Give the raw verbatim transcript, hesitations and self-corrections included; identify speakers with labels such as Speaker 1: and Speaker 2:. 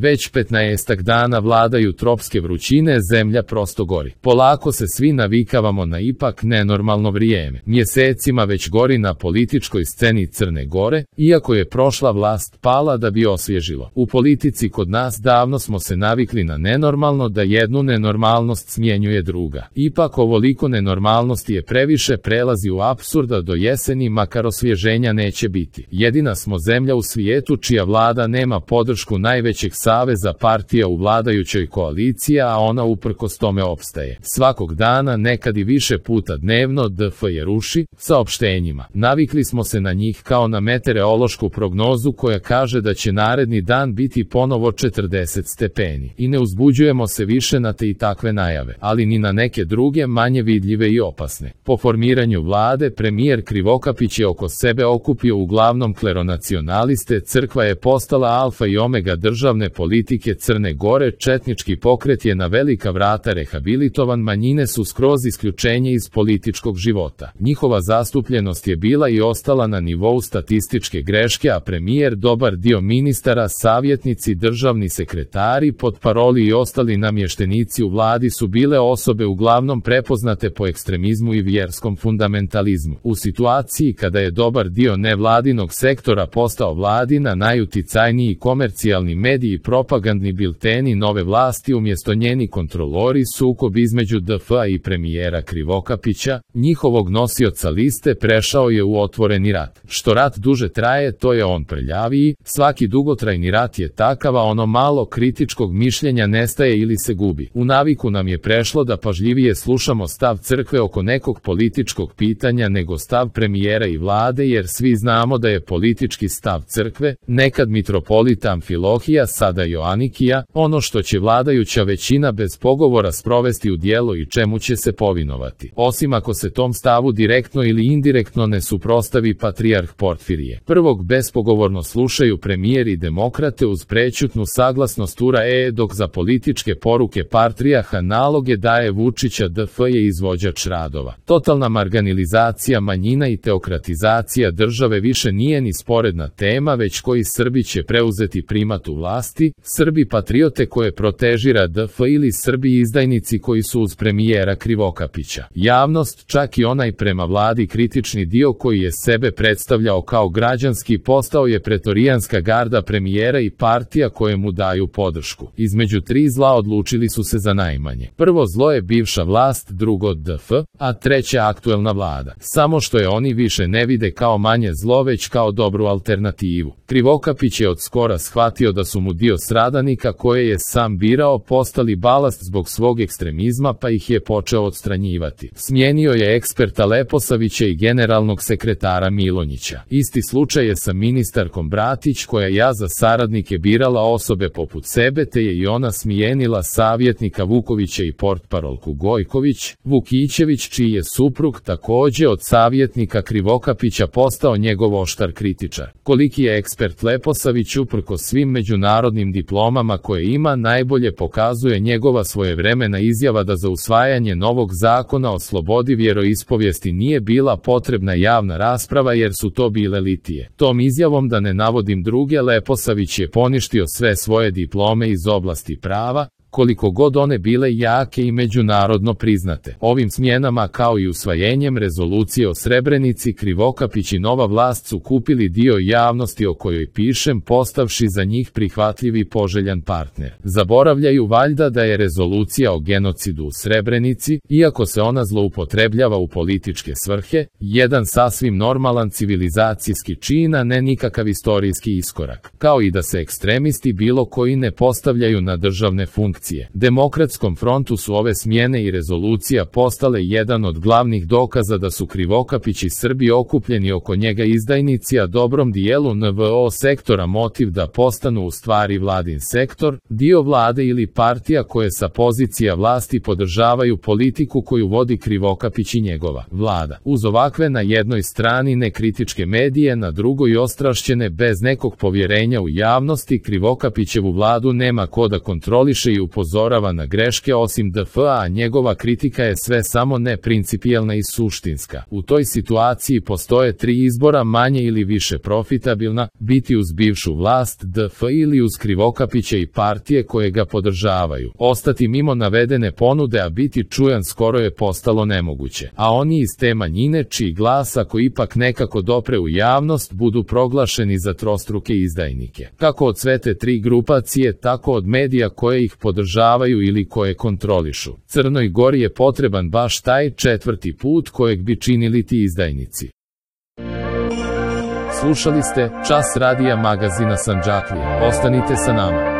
Speaker 1: Već petnaestak dana vladaju tropske vrućine, zemlja prosto gori. Polako se svi navikavamo na ipak nenormalno vrijeme. Mjesecima već gori na političkoj sceni Crne Gore, iako je prošla vlast pala da bi osvježilo. U politici kod nas davno smo se navikli na nenormalno, da jednu nenormalnost smjenjuje druga. Ipak ovoliko nenormalnosti je previše, prelazi u apsurda, do jeseni makar osvježenja neće biti. Jedina smo zemlja u svijetu čija vlada nema podršku najvećeg saveza partija u vladajućoj koaliciji, a ona uprkos tome opstaje. Svakog dana, nekad i više puta dnevno, D F je ruši saopštenjima. Navikli smo se na njih kao na meteorološku prognozu koja kaže da će naredni dan biti ponovo četrdeset stepeni. I ne uzbuđujemo se više na te i takve najave, ali ni na neke druge manje vidljive i opasne. Po formiranju vlade, premijer Krivokapić je oko sebe okupio uglavnom kleronacionaliste, crkva je postala alfa i omega državne politike Crne Gore, četnički pokret je na velika vrata rehabilitovan, manjine su skroz isključenje iz političkog života. Njihova zastupljenost je bila i ostala na nivou statističke greške, a premijer, dobar dio ministara, savjetnici, državni sekretari, potparoli i ostali namještenici u vladi su bile osobe uglavnom prepoznate po ekstremizmu i vjerskom fundamentalizmu. U situaciji kada je dobar dio nevladinog sektora postao vladina, najuticajniji komercijalni mediji i propagandni bilteni nove vlasti umjesto njeni kontrolori, sukob između D F-a i premijera Krivokapića, njihovog nosioca liste, prešao je u otvoreni rat. Što rat duže traje, to je on prljaviji. Svaki dugotrajni rat je takav, a ono malo kritičkog mišljenja nestaje ili se gubi. U naviku nam je prešlo da pažljivije slušamo stav crkve oko nekog političkog pitanja nego stav premijera i vlade, jer svi znamo da je politički stav crkve, nekad mitropolita Amfilohija, sada Joanikija, ono što će vladajuća većina bez pogovora sprovesti u djelo i čemu će se povinovati. Osim ako se tom stavu direktno ili indirektno ne suprotstavi patrijarh Porfirije. Prvog bespogovorno slušaju premijer i demokrate uz prećutnu saglasnost U R A E, dok za političke poruke patrijarha naloge daje Vučića. D F je izvođač radova. Totalna marginalizacija manjina i teokratizacija države više nije ni sporedna tema, već koji Srbi će preuzeti primat u vlasti, Srbi patriote koje protežira D F ili Srbi izdajnici koji su uz premijera Krivokapića. Javnost, čak i onaj prema vladi kritični dio koji je sebe predstavljao kao građanski, postao je pretorijanska garda premijera i partija koje mu daju podršku. Između tri zla odlučili su se za najmanje. Prvo zlo je bivša vlast, drugo D F, a treće aktuelna vlada. Samo što je oni više ne vide kao manje zlo, već kao dobru alternativu. Krivokapić je od skora shvatio da su mu dio stradanika koje je sam birao postali balast zbog svog ekstremizma, pa ih je počeo odstranjivati. Smijenio je eksperta Leposavića i generalnog sekretara Milonjića. Isti slučaj je sa ministarkom Bratić, koja ja za saradnike birala osobe poput sebe, te je i ona smijenila savjetnika Vukovića i portparolku Gojković. Vukićević, čiji je suprug također od savjetnika Krivokapića postao njegov oštar kritičar. Koliki je ekspert Leposavić uprkos svim međunarodnim diplomama koje ima, najbolje pokazuje njegova svojevremena izjava da za usvajanje novog zakona o slobodi vjeroispovijesti nije bila potrebna javna rasprava jer su to bile litije. Tom izjavom, da ne navodim druge, Leposavić je poništio sve svoje diplome iz oblasti prava, koliko god one bile jake i međunarodno priznate. Ovim smjenama, kao i usvajenjem rezolucije o Srebrenici, Krivokapić i nova vlast su kupili dio javnosti o kojoj pišem, postavši za njih prihvatljiv i poželjan partner. Zaboravljaju valjda da je rezolucija o genocidu u Srebrenici, iako se ona zloupotrebljava u političke svrhe, jedan sasvim normalan civilizacijski čin, a ne nikakav istorijski iskorak. Kao i da se ekstremisti bilo koji ne postavljaju na državne funkcije. Demokratskom frontu su ove smjene i rezolucija postale jedan od glavnih dokaza da su Krivokapić i Srbi okupljeni oko njega izdajnici, a dobrom dijelu N V O sektora motiv da postanu u stvari vladin sektor, dio vlade ili partija koje sa pozicija vlasti podržavaju politiku koju vodi Krivokapić i njegova vlada. Uz ovakve na jednoj strani nekritičke medije, na drugoj ostrašćene bez nekog povjerenja u javnosti, Krivokapićevu vladu nema ko da kontroliše i u upozorava na greške osim D F A, a njegova kritika je sve samo ne principijelna i suštinska. U toj situaciji postoje tri izbora, manje ili više profitabilna: biti uz bivšu vlast D F ili uz Krivokapića i partije koje ga podržavaju. Ostati mimo navedene ponude, a biti čujan skoro je postalo nemoguće. A oni iz te manjine čiji glas, ako ipak nekako dopre u javnost, budu proglašeni za trostruke izdajnike. Kako od sve te tri grupacije, tako od medija koje ih podržavaju ili koje kontrolišu. Crnoj Gori je potreban baš taj četvrti put kojeg bi činili ti izdajnici. Slušali ste Čas radija magazina Sandžaklije. Ostanite sa nama.